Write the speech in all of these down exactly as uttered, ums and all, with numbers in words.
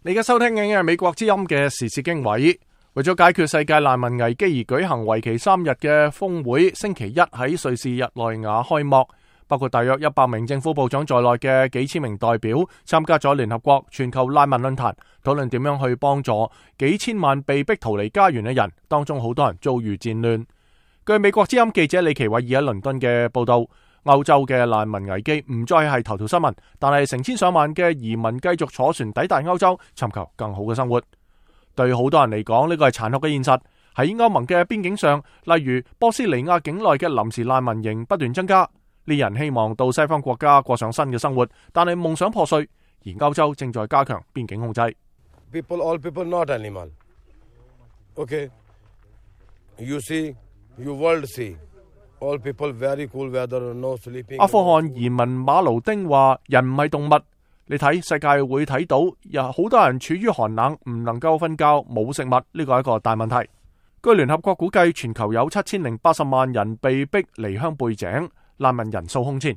你而家收聽緊嘅係美國之音嘅時事經緯，為咗解決世界難民危機而舉行為期三日嘅峰會，星期一喺瑞士日內瓦開幕，包括大約一百名政府部長在內嘅幾千名代表參加咗聯合國全球難民論壇，討論點樣去幫助幾千萬被逼逃離家園嘅人，當中好多人遭遇戰亂。據美國之音記者李奇偉爾喺倫敦嘅報道，歐洲嘅難民危機唔再係頭條新聞，但係成千上萬嘅移民繼續坐船抵達歐洲，尋求更好嘅生活。對好多人嚟講，呢個係殘酷嘅現實。喺歐盟嘅邊境上，例如波斯尼亞境內嘅臨時難民營不斷增加，呢人希望到西方國家過上新嘅生活，但係夢想破碎。而歐洲正在加強邊境控制。People, all people, not animal. Okay, you see, you world see. All people very cool weather, no sleeping. 阿富汗移民馬盧丁話：人唔係動物，你睇世界會睇到，有好多人處於寒冷，唔能夠瞓覺，冇食物，呢個係一個大問題。據聯合國估計，全球有七千零八十萬人被逼離鄉背井，難民人數空前。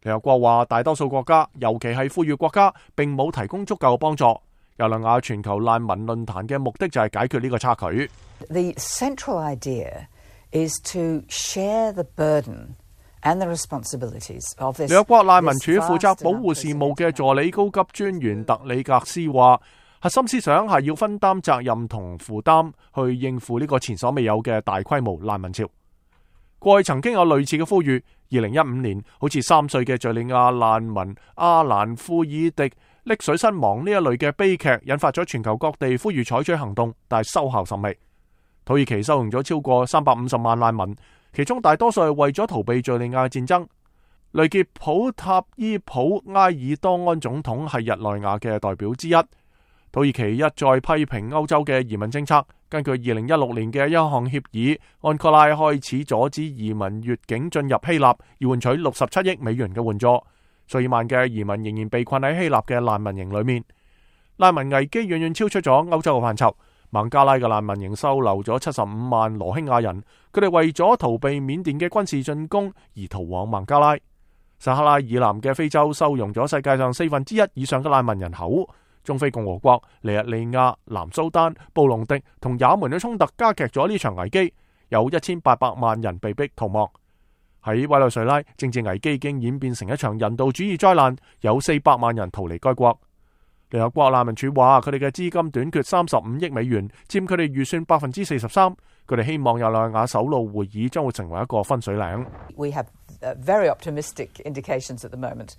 聯合國話，大多數國家，尤其係富裕國家，並冇提供足夠嘅幫助。日內瓦全球難民論壇嘅目的就係解決呢個差距。The central idea is to share the burden and the responsibilities of this. 聯合國難民署負責保護事務嘅助理高級專員特里格斯話，核心思想係要分擔責任同負擔，去應付呢個前所未有嘅大規模難民潮。過去曾經有類似嘅呼籲，二零一五年好似三歲嘅敘利亞難民阿蘭庫爾迪溺水身亡呢一類嘅悲劇，引發咗全球各地呼籲採取行動，但係收效甚微。土耳其收容咗超過三百五十萬難民，其中大多數係為咗逃避敘利亞戰爭。雷傑普塔伊普埃爾多安總統係日內瓦嘅代表之一。土耳其一再批評歐洲嘅移民政策。根據二零一六年嘅一項協議，安哥拉開始阻止移民越境進入希臘，要換取六十七億美元嘅援助。數以萬嘅移民仍然被困喺希臘嘅難民營裏面。難民危機遠遠超出咗歐洲嘅範疇。孟加拉嘅難民營收留咗七十五萬羅興亞人，佢哋為咗逃避緬甸嘅軍事進攻而逃往孟加拉。撒哈拉以南嘅非洲收容咗世界上四分之一以上嘅難民人口。中非共和國、尼日利亞、南蘇丹、布隆迪同也門嘅衝突加劇咗呢場危機，有一千八百萬人被逼逃亡。喺委內瑞拉，政治危機已經演變成一場人道主義災難，有四百萬人逃離該國。聯合國難民署話，佢哋嘅資金短缺三十五億美元，佔佢哋預算百分之四十三。佢哋希望日內瓦首腦會議將會成為一個分水嶺。We have very optimistic indications at the moment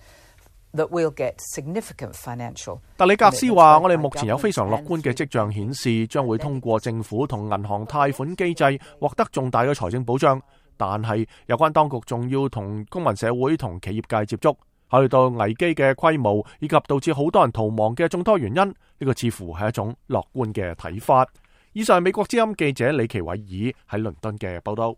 that we'll get significant financial. 特里格斯話，我哋目前有非常樂觀嘅跡象顯示，將會通過政府同銀行貸款機制獲得重大嘅財政保障。但係有關當局仲要同公民社會同企業界接觸。考慮到危機嘅規模以及導致好多人逃亡嘅眾多原因，呢、這個似乎係一種樂觀嘅睇法。以上係美國之音記者李奇偉爾喺倫敦嘅報道。